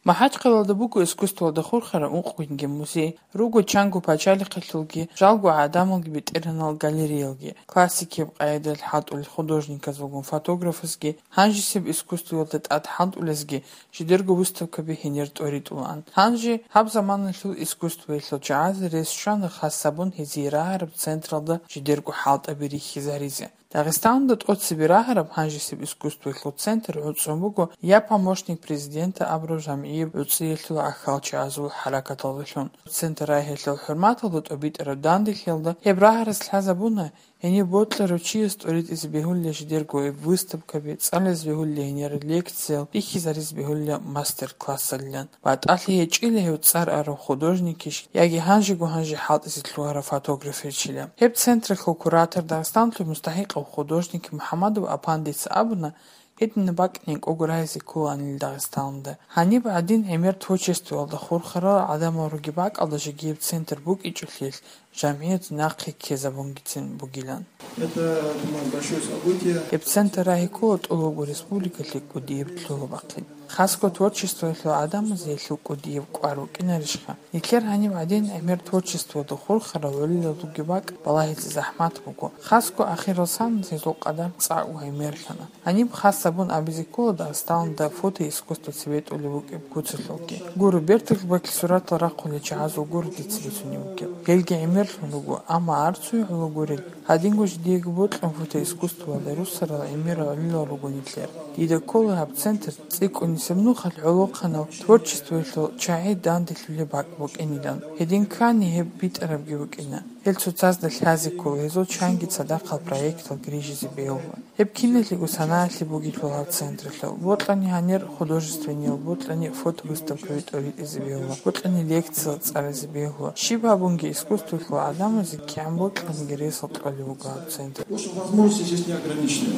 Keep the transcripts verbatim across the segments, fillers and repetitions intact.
МахӀачхъалалда буго искусствоялда хурхараб ункъгинги музей, руго чанго пачалихъалъулги, жалго гӀадамалги бетӀергьанал галереялги, классикияб къагӀидаялъ хӀалтӀулел художниказулгун фотографазги, гьанжесеб искусствоялда тӀад хӀалтӀулезги жидерго выставкаби гьенир тӀоритӀулаан. Гьанже гьаб заманалъул искусствоялъул чагӀазе рес щвана хас гьабун гьезие рагьараб централда жидерго хӀалтӀаби рихьизаризе. Дагъистанда тӀоцебе рагьараб гьанжесеб искусствоялъул центр гӀуцӀун буго «Я помощник президента» абураб жамгӀияб гӀуцӀиялъул гӀахьалчагӀазул хӀаракаталдалъун. Центр рагьиялъул хӀурматалда тӀобитӀараб данделъиялда гьеб рагьарас лъазабуна, гьениб бокьарав чияс тӀоритӀизе бегьулила жидерго гьеб выставкаби, цӀализе бегьулила гьенир лекциял, бихьизаризе бегьулила мастер-классалилан. БатӀалъи гьечӀила гьев цӀар арав художникищ яги гьанжего-гьанже хӀалтӀизе лъугьарав фотографичила. Гьеб централъул куратор, Дагъистаналъул мустахӀикъав художник МухӀамадов Апандица абуна, гьединаб бакӀ гӀенекӀого рагьизе кколаанила Дагъистаналда. Гьаниб гӀадин гӀемер творчествоялда хурхарал гӀадамал ругеб бакӀалда жеги гьеб центр букӀинчӀолъиялъ жамгӀият нахъе ккезабунгицин бугилан. Это, думаю, большое событие. Гьеб центр рагьи ккола тӀолабго республикалъе кӀудияб лъугьа-бахъин. Хасго творчествоялъул гӀадамазе гьелъул кӀудияб кӀвар букӀинарищха? Нилъер гьаниб гӀадин гӀемер творчествоялда хурхарал гӀолилал ругеб бакӀ балагьизе захӀмат буго. Хасго ахирал саналъ гьезул къадар цӀакъго гӀемерлъана. Гьаниб хас гьабун абизе ккола Дагъистаналда фотоискусство цебетӀулеб букӀине ккоцалъулги. Гуро, берталъубаклъи суратал рахъулел чагӀазул гуро дица бицунеб бугеб. Гьелги гӀемерлъун руго, амма арцуе гӀоло гурел, гьадинго жидеего бокьун фотоискусствоялда руссарал гӀемерал гӀолилал руго нилъер. Дида ккола гьаб центр цӀикӀкӀунисеб нухалъ гӀолохъанал творчествоялъул чагӀи данделъулеб бакӀ букӀинилан. Гьедин ккани гьеб битӀарабги букӀина. Гьел цоцазда лъазе ккола, гьезул чанги цадахъал проектал грижизе бегьула. Гьеб киналъего санаялъе бугелъул гьаб централъул, бокьани гьанир художественниял, бокьани фотовыставкаби тӀоритӀизе бегьула, бокьани лекциял цӀализе бегьула. Щиб гьабунги искусствоялъул гӀадамазе кигӀан бокьаниги ресал кьолеб буго гьаб центр. Потому что возможности здесь не ограничены.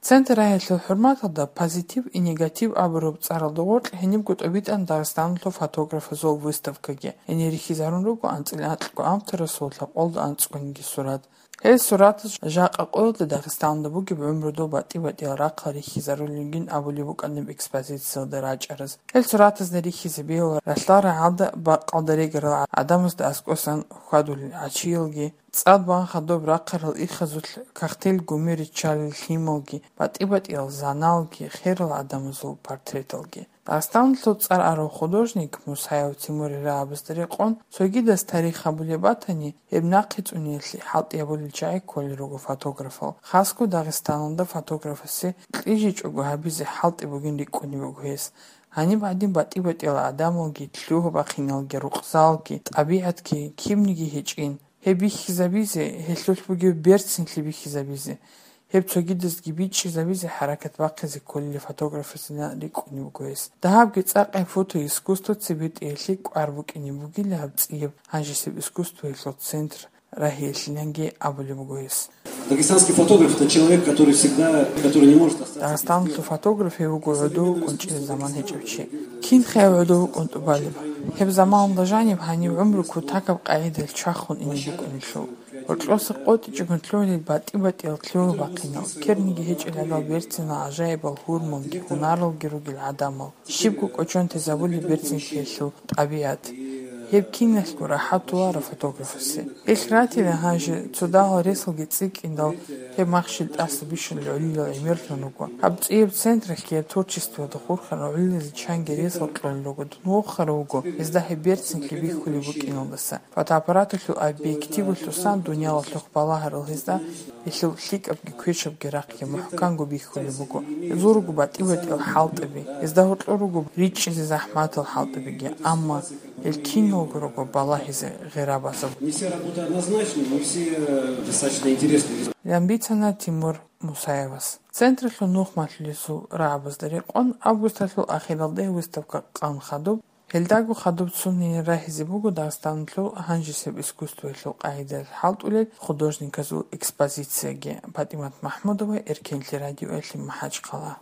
Центр рагьиялъул хӀурматалда «Позитив и негатив» абураб цӀаралда гъоркь гьенибго тӀобитӀана Дагъистаналъул фотографазул выставкаги. Гьенир рихьизарун руго анцӀила анкьго авторасул лъабкъоялда анцӀгониги сурат. Гьел суратаз жакъа къоялда Дагъистаналда бугеб гӀумрудул батӀи-батӀиял рахъал рихьизарулелгин абулеб букӀанаб экспозициялда рачӀараз. Гьел суратазда рихьизе бегьула ралъдал рагӀалда бакъалда регарал гӀадамазда аскӀосан хьвадулел гӀачиялги, цӀад бан хадуб рахъарал ихазулъ кагътил гуми риччалел лъималги, батӀи-батӀиял заналги, херал гӀадамазул портреталги. Дагъистаналъул цӀар арав художник Мусаев Тимурил рагӀабазда рекъон, цогидаз тарих гьабулеб батани, гьеб нахъе цӀуниялъе хӀалтӀи гьабулел чагӀи кколел руго фотографал. Хасго Дагъистаналда фотографасе кьижичӀого гьабизе хӀалтӀи бугин рикӀкӀунеб буго гьес. Гьаниб гӀадин батӀи-батӀиял гӀадамалги, лъугьа-бахъиналги, рукъзалги, тӀабигӀатги кибниги гьечӀин. Гьеб бихьизабизе, гьелъулъ бугеб берцинлъи бихьизабизе, гьеб цогидазги бичӀчӀизабизе хӀаракат бахъизе кколел фотографасина рикӀкӀунеб буго гьес. Дагьабги цӀакъ гьеб фотоискусство цебетӀиялъе кӀвар букӀине бугила гьаб цӀияб гьанжесеб искусствоялъул центр рагьиялъиланги абулеб буго гьес. Дагестанский фотограф — это человек, который всегда, который не может остаться без дела. Дагъистаналъул фотограф гьев вуго гӀодов вукӀун чӀезе заман гьечӀев чи. Кинха гьев гӀодов вукӀун тӀубалеб? Гьеб заманалда жаниб гьанив гӀумру кутакаб къагӀидаялъ чвахун ине букӀунелъул. Гьоркьоса къотӀичӀого лъугьунел батӀи-батӀиял лъугьа-бахъинал, ккерниги гьечӀел гьадал берцинал гӀажаибал гьурмалги, гьунаралги ругел гӀадамал, щибго кӀочон тезабулеб берцинлъиялъул тӀабигӀат. Гьеб киналъго рахӀат туара фотографасе. Гьелъ ратила гьанже цо дагьал ресалги цӀикӀкӀиндал, гьеб махщел тӀаса бищун гӀолилал гӀемерлъун руго. Гьаб цӀияб централъги гьеб творчествоялда хурхарал гӀолилазе чанги ресал кьолел руго, дун вохарав вуго гьезда гьеб берцинлъи бихьулеб букӀиналдаса. Фотоаппараталъул объективалъусан дунялалъухъ балагьарал гьезда, гьелъул лъикӀабги квешабги рахъги мухӀканго бихьулеб буго. Гьезул руго батӀи-батӀиял хӀалтӀаби, гьезда гьоркьор руго ричӀчӀизе захӀматал хӀалтӀабиги, амма гьел киналго руго балагьизе гъира базаб. Не все работы однозначны, не все, э, достаточно интересны. Лян бицана Тимур Мусаевас. Централъул нухмалъулесул рагӀабазда рекъон августалъул ахиралде выставка къан хадуб. Гьелдаго хадуб цунин рагьизе буго Дагъистаналъул гьанжесеб искусствоялъул къагӀидаялъ хӀалтӀулел художниказул экспозицияги. ПатӀимат МахӀмудова, Эркенлъи радиоялъе, МахӀачхъала.